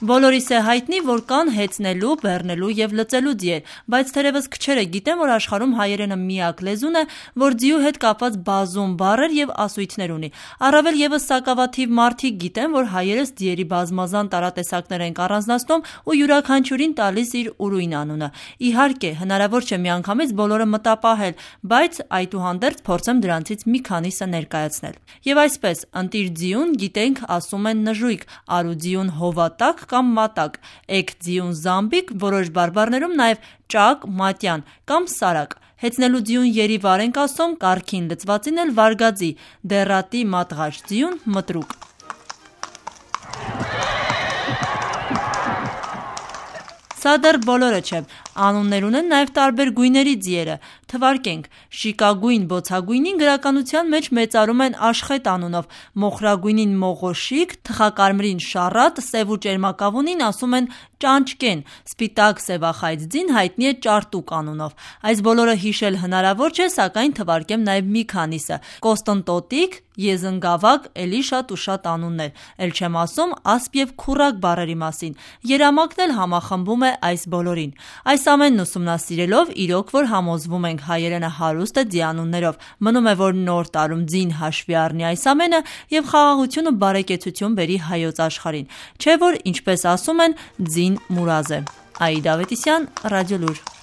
Բոլորիս է հայտնի, որ կան հեծնելու, բեռնելու և լծելու ձիեր, բայց թերևս քչերը գիտեն, որ աշխարհում հայերենը միակ լեզուն է, որ ձիու հետ կապված բազում բառեր և ասույթներ ունի։ Առավել ևս սակավաթիվ մարդիկ գիտեն, որ հայերս ձիերի բազմազան տարատեսակներ ենք առանձնացնում ու յուրաքանչյուրին տալիս իր ուրույն անունը։ Իհարկե, հնարավոր չէ միանգամից բոլորը մտապահել, բայց այդուհանդերձ փորձեմ դրանցից մի քանիսը ներկայացնել։ Եվ այսպես, ընտիր ձիուն գիտենք ասում են նժույգ, արու ձիուն հովատակ կամ մատակ, էգ ձիուն զամբիկ, որոշ բարբառներում նաև ճակ, մատյան կամ սարակ։ Հեծնելու ձիուն երիվար ենք ասում, կառքին լծվածին էլ վարգաձի, դեռատի մատղաշ ձիուն մտրուկ։ Սա դեռ բոլորը չէ, անուններ ունեն նաև տարբեր գույների ձիերը, թվարկենք, շիկագույն բոցագույնին գրականության մեջ մեծարում են աշխետ անունով, մոխրագույնին մողոշիկ, թխակարմիրին շառատ, սև ու ճերմակավունին ասում են ճանճկեն, սպիտակ սևախայծ ձին հայտնի է ճարտուկ անունով։ Այս բոլորը հիշել հնարավոր չէ, սակայն թվարկեմ նաև մի քանիսը՝ կոստընտոտիկ, եզնգավակ, էլի շատ ու շատ անուններ, էլ չեմ ասում ասպ և քուռակ բառերի մասին, երամակն էլ համախմբում է այս բոլորին։ Այս ամենն ուսումնասիրելով իրոք որ համոզվում ենք հայերենը հարուստ է ձիանուններով, մնում է որ նոր տարում ձին հաշվի առնի այս ամենը և խաղաղություն ու բարեկեցություն բերի հայոց աշխարհին, չէ որ ինչպես ասում են ձին մուրազ է։ Աիդա Ավետիսյան, Ռադիոլուր։